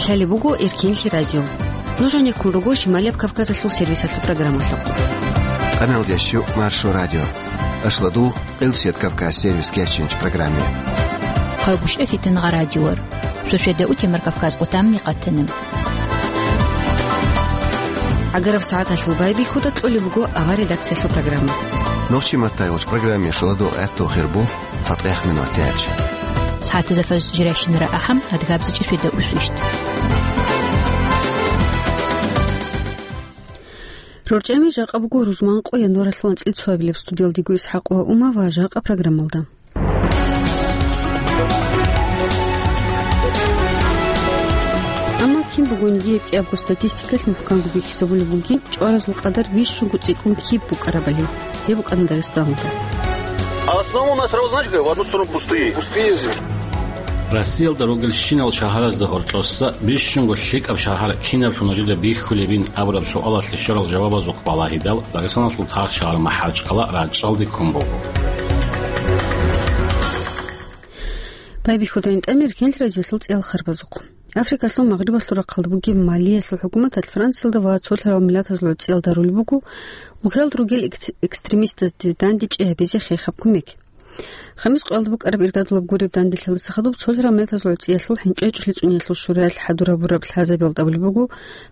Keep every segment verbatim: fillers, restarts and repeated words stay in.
Лъалеб буго Эркенлъи радио. Нуж гьанеккун руго Шималияб Кавказалъул сервисалъул программалъухъ. Къаналдящу Маршо радио. Ашладу Къилсият Кавказ сервис кечинч программе. Хъайгъушев Фитнагъа радиор. Шошеда утемар Кавказ къутамни къатанам. Агараб сагӀаталъул байбихьуда кьолеб буго ава редакциялъул программа. Нохчи маттай гъоч программе шоладу гӀатту хирбу. ЦатӀехъ минут тяч. СагӀатазда фаж жирайщинара ахӀам, адгабзачи шведа усвищт. РорчӀами жакъа буго рузманкъо январалъул анцӀил цоабилеб. Студиялдего Исхакъова Ума ва жакъа программалда. Амма кин бугониги гьеб кӀиябго статистикалъ мухӀканго бихьизабулеб бугин, чӀваразул къадар бищунго цӀикӀкӀун киб букӀарабали. Гьеб букӀана Дагъистаналда. А основа у нас сразу, знаете, как? В одну сторону пустые. Пустые земли. Россиялда ругелщинал шагьаразда гьоркьоса бищунго лъикӀаб шагьар кинаблъун нужеда бихьулебин абураб суалалъе щварал жавабазухъ балагьидал, Дагъистаналъул тахшагьар МахӀачхъала рачӀчӀалде ккун буго. Байбихьудайин тӀамир Кенлъ радиолъул цӀиял харбазухъ. Африкалъул магърибалъул рахъалда бугеб Малиялъул хӀукуматалъ Франциялда ва цолъарал миллатазул гӀуцӀиялда рулеб буго улкаялда ругел экс-, экстремистазде дандечӀей гьабизе хехаб кумек. Хамис къоялда букӀараб иргадулаб гуреб данделъалдаса хадуб цолъарал миллатазул гӀуцӀиялъул хӀинкъи гьечӀолъи цӀуниялъул шураялъ хӀадурабураб лъазабиялда абулеб буго,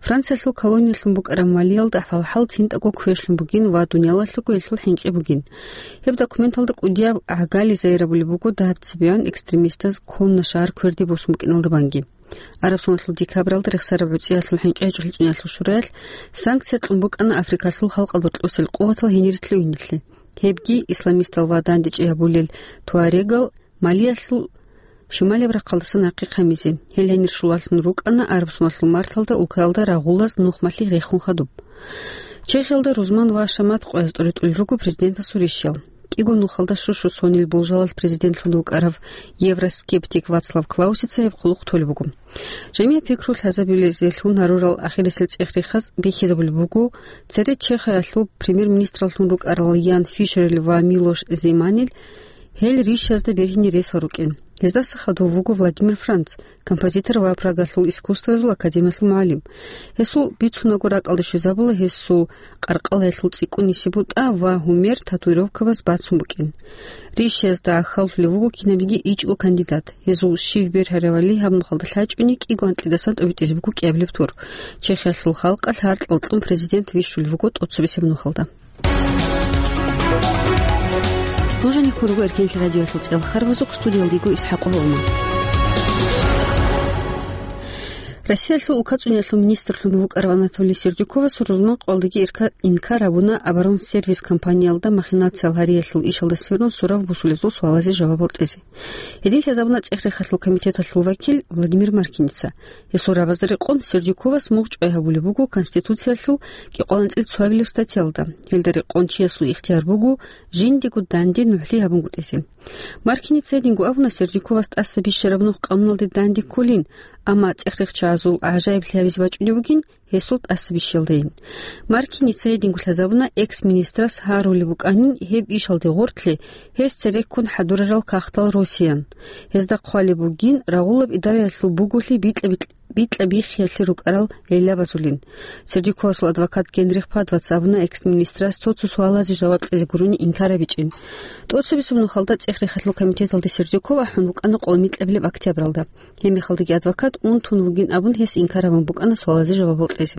Франциялъул колониялъун букӀараб Малиялда хӀалхӀал цинтӀаго квешлъун бугин ва дуниялалъего гьелъул хӀинкъи бугин. Гьеб документалда кӀудияб гӀагали зайрабулеб буго дагьаб цебегӀан экстремистаз ккунна шагьар кверде босун букӀиналда банги. Араб соналъул декабралда рехсараб гӀуцӀиялъул хӀинкъи гьечӀолъи цӀуниялъул шураялъ санкция кьун букӀана Африкалъул халкъалда кьусел къуватал гьенире лъугьинелъе. Гьебги исламистал ва дандечӀей гьабулел туарегал Малиялъул шималияб рахъалдаса нахъе хъамизе. Гьел гьенир щулалъун рукӀана араб соналъул марталда улкаялда рагъулаз нухмалъи рехун хадуб. Чехиялда рузман ва шамат къояз тӀоритӀулел руго президентасул ришиял. КӀиго нухалда щущу сонил болжалалъ президентлъун вукӀарав евроскептик Вацлав Клаусица гьеб хъулухъ толеб буго. Жамиа пикру лъазабилезелъун гьарурал ахирисел цӀех-рехаз бихьизабулеб буго, цере Чехиялъул премьер-министраллъун рукӀарал Ян Фишерил ва Милош Земанил гьел ришазда бергьине ресал рукӀин. Гьездаса хадув вуго Владимир Франц, композитор ва Прагалъул искусствоязул академиялъул мугӀалим. Гьесул бицунаго ракӀалде щвезабула гьесул къаркъалаялъул цӀикӀкӀунисеб бутӀа ва гьумер татуировкабаз бацун букӀин. Ришиязда гӀахьаллъулев вуго кинабиги ичӀго кандидат. Гьезул щив бергьаравали гьаб нухалда лъачӀуни кӀиго анкьидасан тӀобитӀизе буго кӀиабилеб тур. Чехиялъул халкъалъ гьаркьал кьун президент вищулев вуго тӀоцебесеб нухалда. Нуж гьанеккун руго Эркенлъи радиоялъул цӀиял харбазухъ, студиялда йиго Исхакъова Ума. Россиялъул улкацӀуниялъул министрлъун вукӀарав Анатолий Сердюковас рузман къоялдаги ирка-, инкар гьабуна оборонсервис компаниялда махинациял гьариялъул ишалда сверун сурав бусулезул суалазе жавабал кьезе. Гьедин лъазабуна ЦӀех-рехалъул комитеталъул вакил Владимир Маркиница. Гьесул рагӀабазда рекъон Сердюковас мугъ чӀвай гьабулеб буго Конституциялъул кӀикъоялда анцӀил цоабилеб статьялда. Гьелда рекъон чиясул ихтияр буго жиндего данде нугӀлъи гьабунгутӀизе. Маркиница гьединго абуна, Сердюковас тӀаса бищараб нух къануналде данде кколин, амма цӀех-рехчагӀазул гӀажаиблъи гьабизе бачӀунеб бугин гьесул тӀаса бищиялдайин. Маркиница гьединго лъазабуна, экс-министрас гьарулеб букӀанин гьеб ишалде гъоркьлъи гьес цереккун хӀадурарал кагътал росиян. Гьезда хъвалеб бугин рагъулаб идараялъул буголъи бикьа-бикь-, бикьа-биххиялъе рукӀарал гӀиллабазулин. Сердюковасул адвокат Генрих Падвац абуна, экс-министрас цо-цо суалазе жаваб кьезе гурони инкар гьабичӀин. ТӀоцебесеб нухалда ЦӀех-рехалъул комитеталде Сердюков ахӀун вукӀана къоло микьабилеб октябралда. Гьебмехалдаги адвокат унтун вугин абун гьес инкар гьабун букӀана суалазе жавабал кьезе.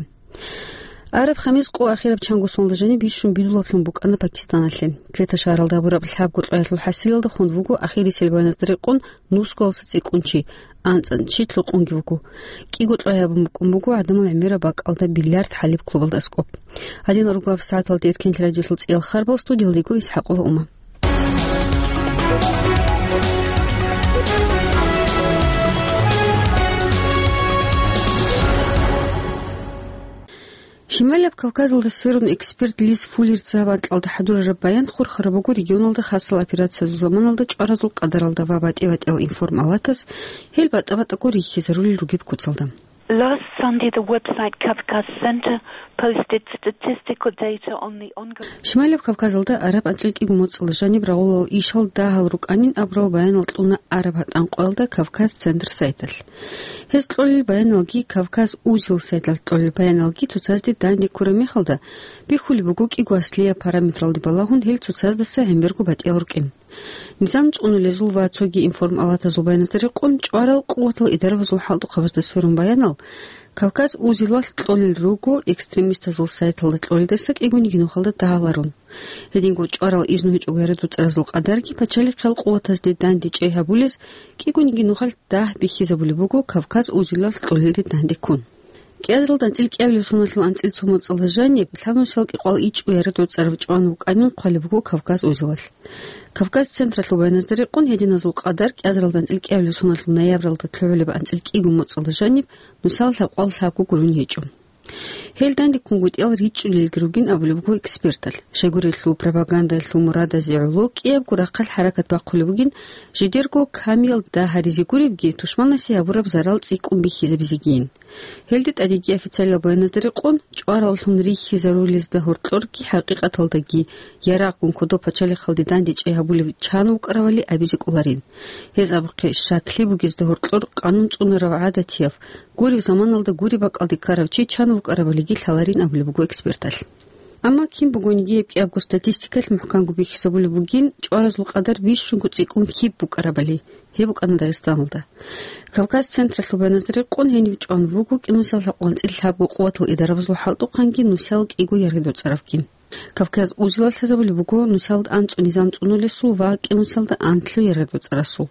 Араб хамис къо ахираб чанго соналда жаниб бищун бидулаблъун букӀана Пакистаналъе. Квета шагьаралда гьабураб лъабго кьваялъул хӀасилалда хун вуго ахирисел баяназда рекъон нусгоялдаса цӀикӀкӀун чи, анцӀан чи лъукъунги вуго. КӀиго кьвай гьабун букӀун буго гӀадамал гӀемераб бакӀалда биллиард хӀалиб клубалда аскӀоб. Гьадинал руго гьабсагӀаталда Эркенлъи радиолъул цӀиял харбал, студиялда йиго Исхакъова Ума. Шималаб Кавказалда сверун эксперт Лиз Фуллерца гьаб анкьалда хӀадурараб баян хурхараб буго регионалда хасал операциязул заманалда чӀваразул къадаралда ва батӀи-батӀиял информалатаз гьел батӀа-батӀаго рихьизарулел ругеб куцалда. Last Sunday, the website Kavkaz Center posted statistical data on the ongoing Шималаб Кавказалда араб анцӀил кӀиго моцӀалда жаниб рагъулал ишал дагьал рукӀанин абурал баянал кьуна араб гьатӀан къоялда Кавказ Центр сайталъ. Гьез кьолел баяналги, Кавказ Узел сайталъ кьолел баяналги цоцазде данде ккураб мехалда, бихьулеб буго кӀиго аслияб параметралде балагьун гьел цоцаздаса гӀемерго батӀиял рукӀин. Низам цӀунулезул ва цоги информалатазул баяназда рекъон, чӀварал къуватал идарабазул хӀалтӀухъабазда сверун баянал, Кавказ Узелалъ кьолел руго, экстремистазул сайталда кьолелдаса кӀигониги нухалда дагьаларун. Гьединго чӀварал изну гьечӀого ярадуцӀаразул къадарги пачалихъиял къуватазде данде чӀей гьабулез кӀигониги нухалъ дагь бихьизабулеб буго Кавказ Узелалъ кьолелде данде ккун. КӀиазаралда анцӀил кӀиабилеб соналъул анцӀил цо моцӀалда жаниб лъабнусиял кӀикъоялда ичӀго ярадуцӀараб чӀван вукӀанин хъвалеб буго Кавказ Узелалъ. Кавказ Централъул баяназда рекъон, гьединазул къадар кӀиазаралда анцӀил кӀиабилеб соналъул ноябралда лъугӀулеб анцӀил кӀиго моцӀалда жаниб нусал лъабкъоялда лъабго гурун гьечӀо. Гьел данде ккунгутӀиял ричӀчӀулелги ругин абулеб буго эксперталъ. Щайгурелъул пропагандаялъул мурадазе гӀоло кӀиябго рахъалъ хӀаракат бахъулеб бугин, жидерго камиял дагь гьаризе гуребги, тушманасе гьабураб зарал цӀикӀкӀун бихьизабизегийин. Гьелде тӀадеги официалиял баяназда рекъон, чӀвараллъун рихьизарулезда гьоркьорги хӀакъикъаталдаги ярагъгун кодоб пачалихъалде данде чӀей гьабулев чан вукӀаравали абизе кӀоларин. Гьез абухъе щаклъи бугезда гьоркьор къанун цӀунарав гӀадатияв, гуреб заманалда гуреб бакӀалде ккарав чи чан вукӀаравалиги лъаларин абулеб буго эксперталъ. Амма кин бугониги гьеб кӀиябго статистикалъ мухӀканго бихьизабулеб бугин, чӀваразул къадар бищунго цӀикӀкӀун киб букӀарабали. Гьеб букӀана Дагъистаналда. Кавказ Централъул баяназда рекъон, гьенив чӀван вуго кӀинусал лъабкъоялда анцӀил лъабго къуватал идарабазул хӀалтӀухъанги нусал кӀиго яргъидоцӀаравги. Кавказ Узелалъ лъазабулеб буго нусалда анцӀго низам цӀунулесул ва кӀинусалда анлъго яргъидоцӀарасул.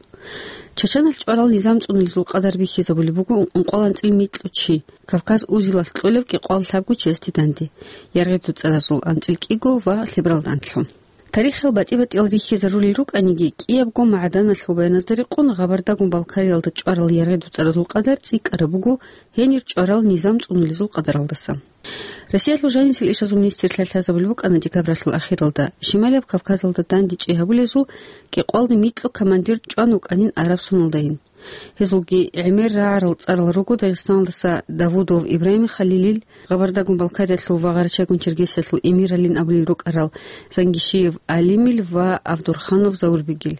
Чачаналъ чӀварал низам цӀунулезул къадар бихьизабулеб буго ункъоялда анцӀил микьго чи, Кавказ Узелалъ кьолеб кӀикъоялда лъабго чиясде данде, яргъидоцӀаразул анцӀил кӀиго ва лъебералда анлъго. Тарихиял батӀи-батӀиял рихьизарулел рукӀаниги, кӀиябго магӀаданалъул баяназда рекъон, Гъабардагун Балкариялда чӀварал яргъидоцӀаразул къадар цӀикӀкӀараб буго гьенир чӀварал низам цӀунулезул къадаралдаса. Россиялъул жанисел ишазул министрлъа лъазабулеб букӀана декабралъул ахиралда, Шималияб Кавказалда данде чӀей гьабулезул кӀикъоялда микьго командир чӀван вукӀанин араб соналдайин. Гьезулги гӀемер рагӀарал цӀарал руго Дагъистаналдаса Давудов Ибрагьим Халилил, Гъабардагун Балкариялъул ва Гъарачагун Чергесиялъул эмиралин абулел рукӀарал Зангишиев Алимил ва Авдурханов Заурбегил.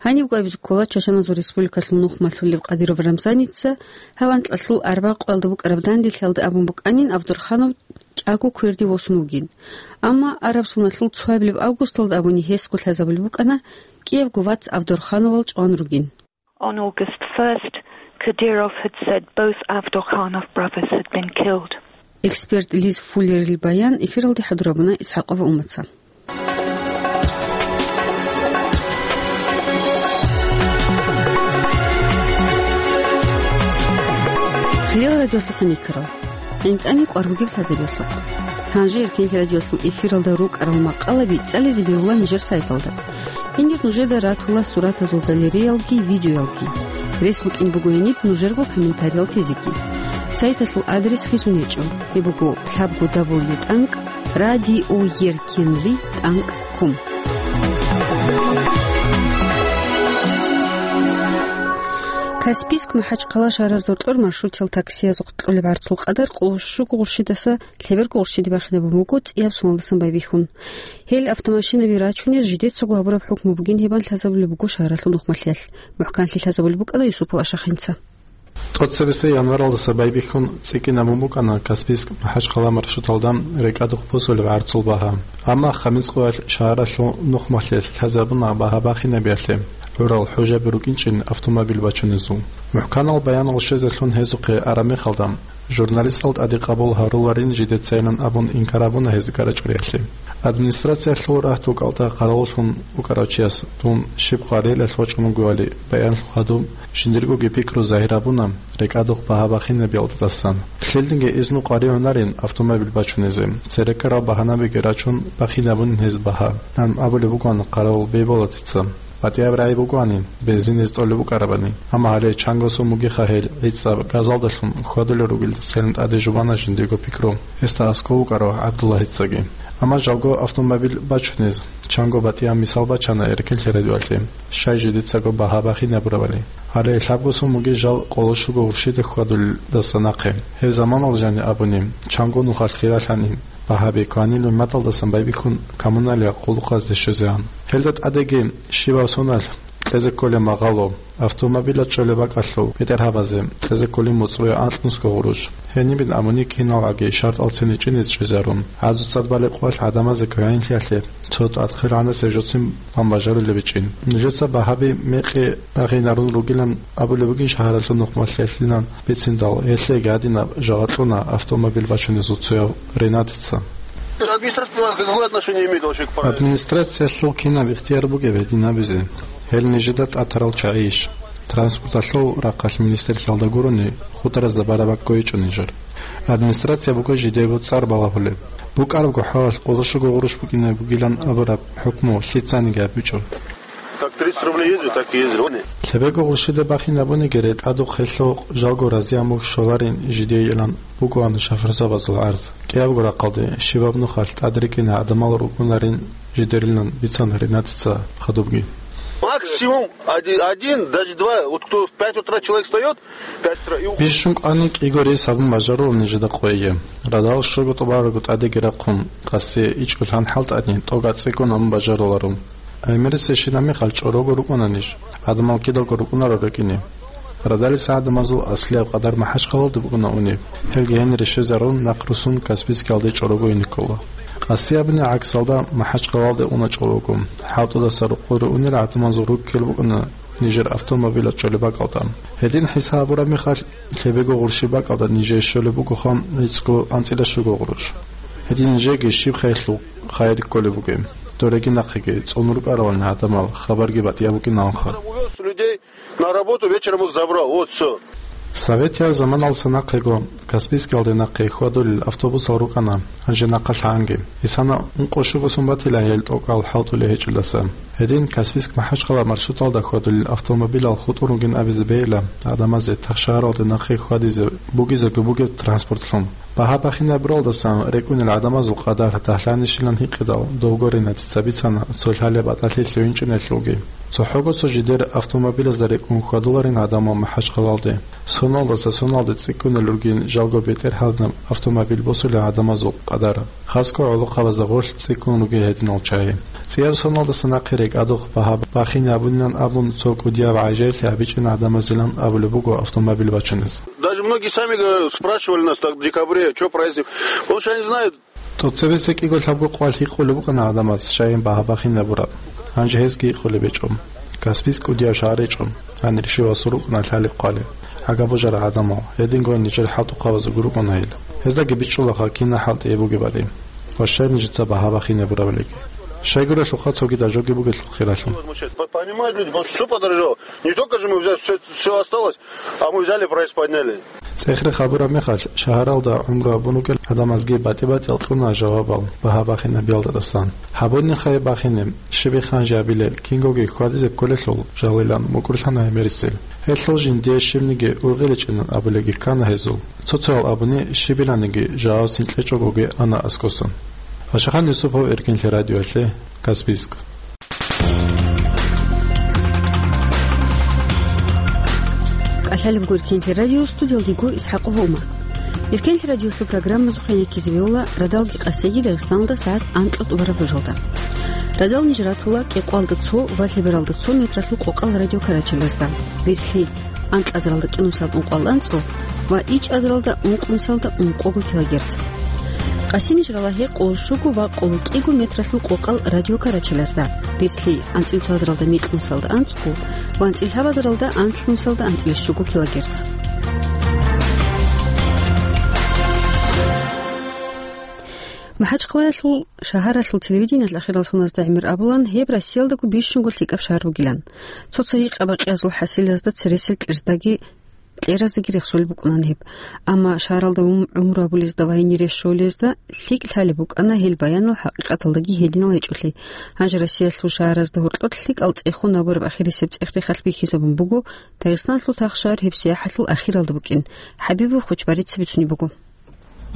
Гьанибго абизе ккола, Чачаназул Республикалъул нухмалъулев Кадыров Рамзаница гьаб анкьалъул арбакъоялда букӀараб данделъиялда абун букӀанин, Авдурханов чӀаго кверде восун вугин. Амма араб соналъул цоабилеб августалда абуни гьесго лъазабулеб букӀана кӀиябго вац Авдурхановал чӀван ругин. On August first, Kadyrov had said both Avdurkhanov brothers had been killed. Эксперт Лиз Фуллерил баян эфиралде хӀадурабуна Исхакова Умаца. Хириял радиолъухъ хъиникарал. ГӀинтӀами кӀвар бугеб лъазариялъухъ. Гьанже Эркенлъи радиолъул эфиралда рукӀарал макъалаби цӀализе бегьула нижер сайталда. Гьенир нужеда ратула суратазул галереялги видеоялги. Рес букӀин буго гьениб нужерго комментариял тезеги. Сайталъул адрес хисун гьечӀо. Гьеб буго лъабго дабл ю тӀанкӀ радиоеркенлъи тӀанкӀ ком. Каспийск – МахӀачхъала шагьаразда гьоркьор маршрутиял таксиязухъ кьолеб гӀарцул къадар къоло щуго гъурщидаса лъеберго гъурщиде бахинабун буго цӀияб соналдасан байбихьун. Гьел автомашинаби рачунез жидецаго гьабураб хӀукму бугин гьебан лъазабулеб буго шагьаралъул нухмалъиялъ. МухӀканлъи лъазабулеб букӀана Юсупов Ашахинца. ТӀоцебесеб январалдаса байбихьун цӀикӀкӀинабун букӀана Каспийск – МахӀачхъала маршруталда рекӀадухъ босулеб гӀарцул багьа. Амма Хамис къоялъ шагьаралъул нухмалъиялъ лъазабуна багьа бахинабиялъе гӀурал хӀужаби рукӀинчӀин автомобиль бачунезул. МухӀканал баянал щвезелъун гьезухъе араб мехалда, журналистал тӀаде къабул гьаруларин жидецайилан абун инкар гьабуна гьез гарачӀуриялъе. Администрациялъул рагьтукалда къаравуллъун вукӀарав чияс дун щиб къварилъалъ вачӀун вугевали баянлъухъ гьадуб, жиндиргоги пикру загьир гьабуна рекӀадухъ багьа бахинабиялдасан. Лъилдинги изну къваригӀунарин автомобиль бачунизе, цереккарал багьанабиги рачун, бахинабунин гьез багьа, ан абулеб бугоан къаравул Бейболатица. БатӀияб рагӀи бугоанин, бензин гьез тӀолеб букӀарабани. Амма гьале чанго сум бугеха гьел гӀицӀаб газалдалъун хьвадулел ругелдасайилан тӀаде жубана жиндиего пикру гьесда аскӀов вукӀарав ГӀабдуллагьицаги. Амма жалго автомобиль бачунез чанго батӀияб мисал бачана Эркенлъи радиоялъе, щай жидецаго багьа бахинабурабали. Гьале лъабго сон бугеб жал къоло щуго гъурщида хьвадулелдаса нахъе. Гьеб заманалда жаниб абуни, чанго нухалъ хиралъанин, багьаби кванилин мадалдасан байбихьун коммуналияб къуллукъазде щвезегӀан. Гьелда тӀадеги щибаб соналъ кьезе кколеб магъало, автомобилалъ чӀолеб бакӀалъул бетӀергьабазе кьезе кколин моцӀрое анкьнусго гъурущ. Гьенибин абуни киналгӀаги шартӀалцин гьечӀине чӀезарун, гӀазу цӀад балеб къоялъ гӀадамазе квегӀинлъиялъе цо тӀадхъи гӀанасеб жоцин бан бажарулеб гьечӀин. Нужеца багьаби мекъи рагъинарун ругилан абулеб бугин шагьаралъул нухмалъиялъилан бициндал, гьелъеги гьадинаб жаваб кьуна автомобиль бачунезул цояв Ренатица. Администрация какое отношение имеет вообще к правилам? Администрациялъул кинаб ихтияр бугеб гьедин абизе? Гьел нижеда тӀатарал чагӀийищ? Транспорталъул рахъалъ министрлъиялда гурони, хударазда бараб бакӀ гьечӀо нижер. Администрация буго жидебго цӀар балагьулеб. БукӀарабго хӀалалъ къоло щуго гъурущ букӀине бугилан абураб хӀукму лъицаниги гьабичӀо. Как тридцать рублей ездил, так и ездил. Лъебего гъурщида бахинабуниги, ретӀадухъ гьелъул жалго разияб мухь щоларин жидейилан бугоан шофёрзабазул гӀарз. КӀиябго рахъалде щибаб нухалъ тӀадрекӀине гӀадамал ругунарин жидерилан бицана Ренатица хадубги. Максимум один, один, даже два. Вот кто в пять утра человек встаёт, пять утра, и у- Бищун кӀвани кӀиго рейс гьабун бажарулел нижеда къойги. Радал щуго тӀубарабго тӀадеги рахъун, къаси ичӀго лъан хӀалтӀани, тӀога цӀикӀкӀун гьабун бажаруларо. ГӀемерисебщинаб мехалъ чӀорого рукӀуна ниж, гӀадамал кидалго рукӀунаро рекӀине. Радалиса гӀадамазул аслияб къадар МахӀачхъалалде букӀуна унеб. Гьелги гьенире щвезарун, нахъ руссун Каспийскиялде чӀорого ине ккола. Къаси абуни гӀаксалда МахӀачхъалалде уна чӀорого. ХӀалтӀудаса рукъуре унел гӀадамазул руккел букӀуна нижер автомобилалъ чӀолеб бакӀалда. Гьедин хӀисаб гьабураб мехалъ, лъебего гъурщи бакӀалда нижее щолеб бугоха гӀицӀго анцӀила щуго гъурущ. Гьедин нижееги щиб хайралъул хайир кколеб бугеб? Дореги нахъеги цӀун рукӀаралани гӀадамал, хабарги батӀияб букӀиналха. Увёз людей на работу, вечером их забрал. Вот всё. Советияб заманалдаса нахъего Каспийскиялде нахъе хьвадулел автобусал рукӀана, гьанже нахъа лъанги. Исана ункъо щуго сон батила гьел тӀокӀал хӀалтӀулей гьечӀелдаса. Гьедин Каспийск-МахӀачхъала маршруталда хьвадулел автомобилал хутӀун ругин абизе бегьила гӀадамазе тахшагьаралде нахъе хьвадизе бугизеги бугеб транспортлъун. Багьа бахинабуралдасан рекӀунел гӀадамазул къадар дагьлъанищилан гьикъидал, довго Ренатица бицана цо лъалеб батӀалъи лъугьинчӀиналъулги. ЦохӀого цо жидер автомобилазда рекӀун хьвадуларин гӀадамал МахӀачхъалалде. Соналдаса соналде цӀикӀкӀунел ругин жалго бетӀергьанаб автомобиль босулел гӀадамазул къадар. Хасго гӀолохъабазда гъорлъ цӀикӀкӀун ругел гьединал чагӀи. ЦӀияб соналдаса нахъе рекӀадухъ багьа бахине абунилан абун цо кӀудияб гӀажаиблъи гьабичӀин гӀадамазилан абулеб буго автомобиль бачунез. Даже многие сами, говорят, спрашивали нас так в декабре, чё проездим. Потому что они знают. ТӀоцебесеб кӀиго лъабго къоялъ гьикъулеб букӀана гӀадамаз, щайин багьа бахинабураб. Гьанже гьезги гьикъулеб гьечӀо. Каспийск кӀудияб шагьар гьечӀо, гьанир щивасул рукӀана лъалеб хъвалеб. Гьагаб божарал гӀадамал, гьединго нижер хӀалтӀухъабазулги рукӀана гьел. Гьездаги бичӀчӀулаха кина хӀалтӀи гьеб бугебали. Ва щай нижеца багьа бахинабурабалиги. Щайгурелъулха цогидал жоги бугелъул хиралъун. По-, понимают люди, потому что всё подорожало. Не только же мы взяли, всё, всё осталось, а мы взяли, прайс подняли. ЦӀехрехъ гьабураб мехалъ, шагьаралда гӀумру гьабун ругел гӀадамазги батӀи-батӀиял кьуна жавабал багьа бахинабиялдасан. Гьабунихъе бахине, щибихъан жабилел, кингоги хьвадизе кколелъул жалилан мукӀурлъана гӀемерисел. Гьелъул жиндие щибниги ургъиличӀинан абулебги ккана гьезул. Цо-цоял абуни щибиланиги жавабцин кьечӀогоги ана аскӀосан. Ашахан Юсупов, Эркинлъи радиоялъе, Каспийск. КӀалъалеб гуркинлъи радио, студиялдего ИсхӀакъова Умар. Иркенлъи радиолъул программазухъе реккизе бегьула радалги къасиги Дагъистаналда сагӀат анкьа тӀубараб ружалда. Радал ниж ратула кӀикъоялда цо ва лъебералда цо метралъул къокъал радиокарачалазда. Рислъи анкьазаралда кӀинусалда ункъоялда анцӀго ва ичӀазаралда ункънусалда ункъого килогерц. Къасиниж ралагье къоло щуго ва къоло кӀиго метралъул къокъал радиокарачалазда, рислъи анцӀила цоазаралда микьнусалда анцӀго ва анцӀила лъабазаралда анлънусалда анцӀила щуго килогерц. МахӀачхъалаялъул шагьаралъул телевидениялъ ахирал соназда гӀемер абулан, гьеб Россиялдаго бищунго лъикӀаб шагьар бугилан. Цо-цо гьикъа-бакъиязул хӀасилазда цересел кьерздаги кьераздаги рехсолеб букӀунан гьеб. Амма шагьаралда гӀум-, гӀумру гьабулезда ва гьенире щолезда лъикӀ лъалеб букӀана гьел баянал хӀакъикъаталдаги гьединал гьечӀолъи. Гьанже Россиялъул шагьаразда гьоркьор лъикӀал цӀехун гьабураб ахирисеб цӀех-рехалъ бихьизабун буго, Дагъистаналъул тахшагьар гьеб сияхӀалъул ахиралда букӀин. ХӀабибов Хочбарица бицунеб буго.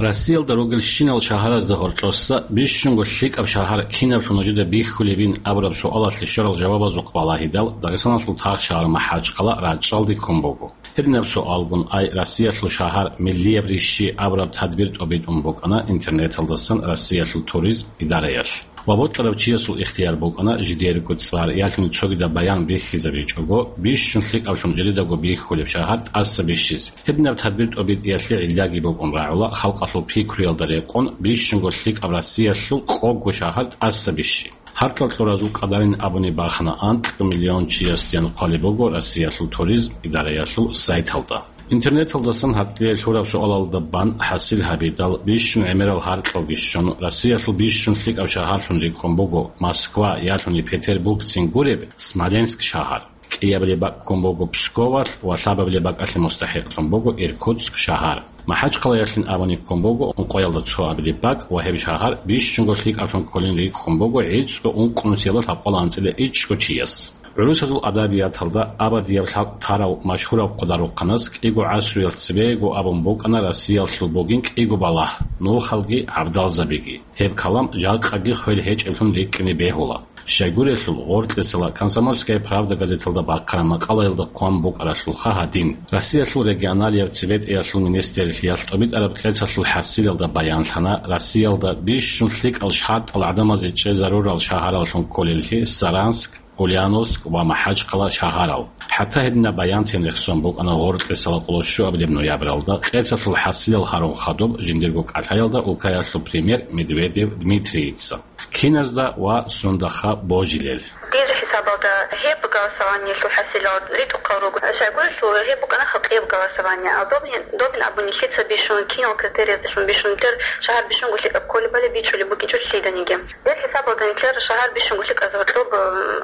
Россиялда ругелщинал шагьаразда гьоркьоса бищунго лъикӀаб шагьар кинаблъун нужеда бихьулебин абураб суалалъе щварал жавабазухъ балагьидал, Дагъистаналъул тахшагьар МахӀачхъала рачӀчӀалде ккун буго. Гьединаб суалгун, ай Россиялъул шагьар миллияб рищи абураб тадбир тӀобитӀун букӀана интернеталдасан Россиялъул туризм идараялъ. Ва бокьарав чиясул ихтияр букӀана жидерго цӀар ялъуни цогидаб баян бихьизабичӀого, бищун лъикӀаблъун жидедаго бихьулеб шагьар тӀаса бищизе. Гьединаб тадбир тӀобитӀиялъе гӀиллаги букӀун рагӀула халкъалъул пикруялда рекъон бищунго лъикӀаб Россиялъул къого шагьар тӀаса бищи. Гьаркьал кьуразул къадарин абуни бахана, анкь миллион чиясдиян хъвалеб буго Россиялъул туризм идараялъул сайталда. Интернеталдасан гьатӀире лъураб суалалда бан хӀасил гьабидал, бищун гӀемерал гьаркьалги щун, Россиялъул бищун лъикӀаб шагьарлъун рикӀкӀун буго Москва, ялъуни Петербургцин гуреб Смоленск шагьар. КӀиабилеб бакӀ ккун буго Псковалъ ва лъабабилеб бакӀалъе мустахӀикълъун буго Иркутск шагьар. МахӀачхъалаялъин абуни ккун буго ункъоялда цоабилеб бакӀ ва гьеб шагьар бищунго лъикӀаблъун кколин рикӀкӀун буго гӀицӀго ункънусиялда лъабкъоялда анцӀила ичӀго чияс. ГӀурусазул адабияталда абадияб лъабкъ тарав машгьурав хъударухъанас кӀиго гӀасруялъ цебего абун букӀана Россиялъул бугин кӀиго балагь, нухалги гӀабдалзабиги. Гьеб калам жакъаги хвел гьечӀеблъун рикӀкӀине бегьула. Щайгурелъул, гъоркьесала «Комсомольская правда» газеталда бахъараб макъалаялда хъван букӀаралъулха гьадин: Россиялъул регионалияб цебетӀиялъул министрлъиялъ тӀобитӀараб кьецалъул хӀасилалда баянлъана Россиялда бищун лъикӀал шартӀал гӀадамазе чӀезарурал шагьараллъун кколеллъи Саранск, Ульяновск ва МахӀачхъала шагьарал. ХӀатта гьединаб баянцин рехсон букӀана гъоркьесала къоло щуабилеб ноябралда кьецалъул хӀасилал гьарун хадуб жиндирго кӀалъаялда улкаялъул премьер Медведев Дмитрийица. Киназда ва сундахъа божилел. Дир хӀисабалда гьеб голосованиялъул хӀасилал ритӀухъал руго. Щайгурелъул гьеб букӀана халкъияб голосование. А добин, добин абуни лъица бищун, кинал критериялдалъун бищун, нилъер шагьар бищунго лъикӀаб кколебали бичӀчӀулеб букӀинчӀо лъиданиги. Гьеб хӀисабалда нилъер шагьар бищунго лъикӀазе гьоркьоб,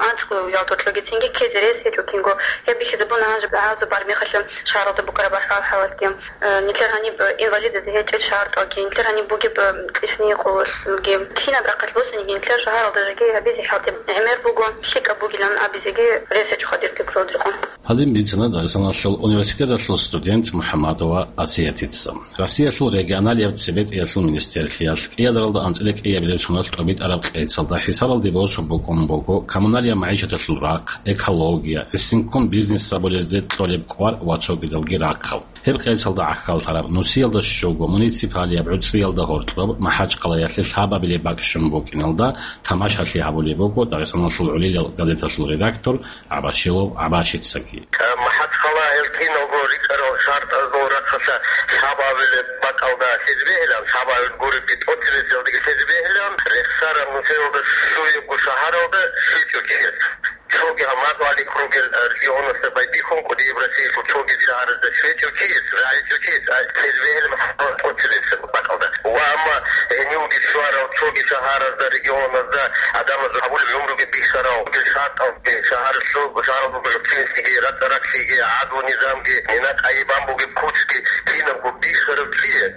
анцӀго ялдолъоги цинги ккезе рес гьечӀо кинго. Гьеб бихьизабуна гьанже гӀазаб бармехалъа шагьаралда букӀараб ахӀвал-хӀалалги. Э, нилъер гьаниб, э, инвалидаз гьечӀел шартӀалги, нилъер гьаниб бугеб, э, кьишни къуллъулги. Кинаб рахъалъ босаниги нилъер шагьаралда жеги гьабизе хӀалтӀи гӀемер буго, лъикӀаб бугилан абизеги рес гьечӀо хадир пикру рекъон. Гьадин бицана Дагъистаналъул университеталъул студент МухӀамадова Асиятица. Россиялъул регионалияб цебетӀиялъул министрлъиялъ кӀиадаралда анцӀила кӀиабилеб соналъ тӀобитӀараб кьецалда хӀисабалде босун букӀун буго коммуналияб магӀишаталъул рахъ, экология, гӀисинккун бизнес гьабулезде кьолеб кӀвар ва цогидалги рахъал. Гьеб кьецалда гӀахьаллъараб нусиялда щуго муниципалияб гӀуцӀиялда гьоркьоб МахӀачхъалаялъе лъабабилеб бакӀ щун букӀиналда тамашалъи гьабулеб буго Дагъистаналъул гӀолилал газеталъул редактор ГӀабашилов ГӀабашицаги. МахӀачхъала гьел киналго рикӀкӀарал шартӀазул рахъалъа лъабабилеб бакӀалда лъезе бегьилан, лъабабил гуребги тӀоцебесалдаги лъезе бегьилан, рехсараб нусиялда щуябго шагьаралда щвечӀо чияс. Цоги гьаб мадугьалихъ ругел, э, регионалъа байбихьун, кӀудияб Россиялъул цоги шагьаразда щвечӀев чияс, рагӀичӀев чияс, а, лъезе бегьилан тӀоцебесеб бакӀалда. Ва амма гьенивги щварал цоги шагьаразда, регионазда гӀадамазул гьабулеб гӀумруги бихьарал, шартӀалги, шагьаралъул, шагьаралда бугеб цинцӀиги, рацӀа-ракълъиги, гӀадлу-низамги, мина-къайи бан бугеб куцги, кинабго бихьарав чияс.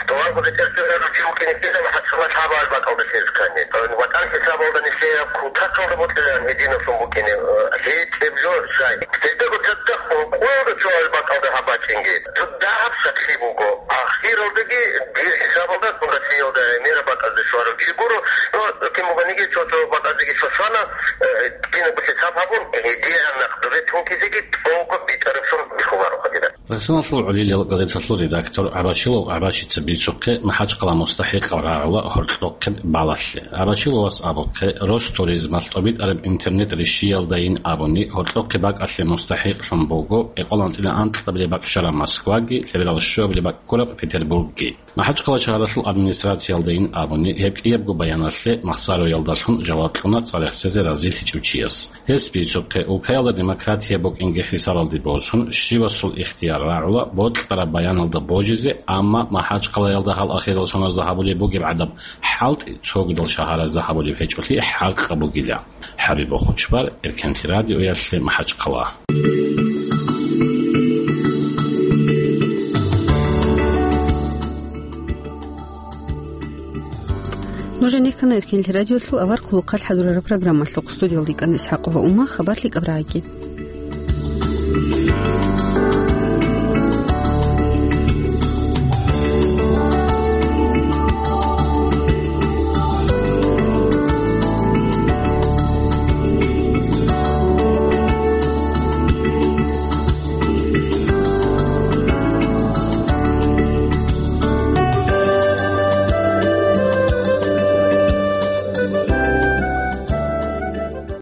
Товарго бетӀер цӀерарав чи вукӀине ккела МахӀачхъала лъабабил бакӀалда лъезе ккани. ВатӀан хӀисабалда нилъее кутакалда бокьилан гьединаблъун букӀине, э, гьечӀеб жо щай. Гьелдаго цадахъ къоялда цоабил бакӀалда гьаб бачӀинги. Цо дагьаб сахлъи буго. Ахиралдаги дир хӀисабалда Россиялда гӀемераб бакӀазда щварав чи гуро, но кин бугониги цо-цо бакӀаздеги щвана, э, кинабго хӀисаб гьабун, гьедигӀан нахъ дуре тункизеги тӀолго битӀараб щун бихьуларо гьадинаб. Дагъистаналъул гӀолилал газеталъул редактор ГӀабашилов ГӀабашица бицухъе МахӀачхъала мустахӀикъал рагӀула гьоркьохъеб балалъе. ГӀабашиловас абухъе, Ростуризмалъ тӀобитӀараб интернет-ришшиялдайин абуни, гьоркьохъеб бакӀалъе мустахӀикълъун буго экъоланцӀила анкьабилеб бакӀ щвараб Москваги, лъеберал щуабилеб бакӀ ккураб Петербургги. МахӀачхъала шагьаралъул администрациялдайин абуни, гьеб кӀиябго баяналъе махсароялдалъун жаваб кьуна цӀарахсезе разилъичӀев чияс. Гьес бицухъе, улкаялда демократия букӀинги хӀисабалде босун, щивасул ихтияр рагӀула бокьараб баяналда божизе, амма МахӀачхъалаялда гьал ахирал соназда гьабулеб бугеб гӀадаб хӀалтӀи цогидал шагьаразда гьабулеб гьечӀолъи хӀакъаб бугила. ХӀабиб Бохучбар, Эркенлъи радиоялъе, МахӀачхъала. Нуж гьенеккана Эркенлъи радиолъул авар хъулухъалъ хӀадурараб программалъухъ. Студиялда йикӀана ИсхӀакъова Ума, хабар лъикӀаб рагӀиги.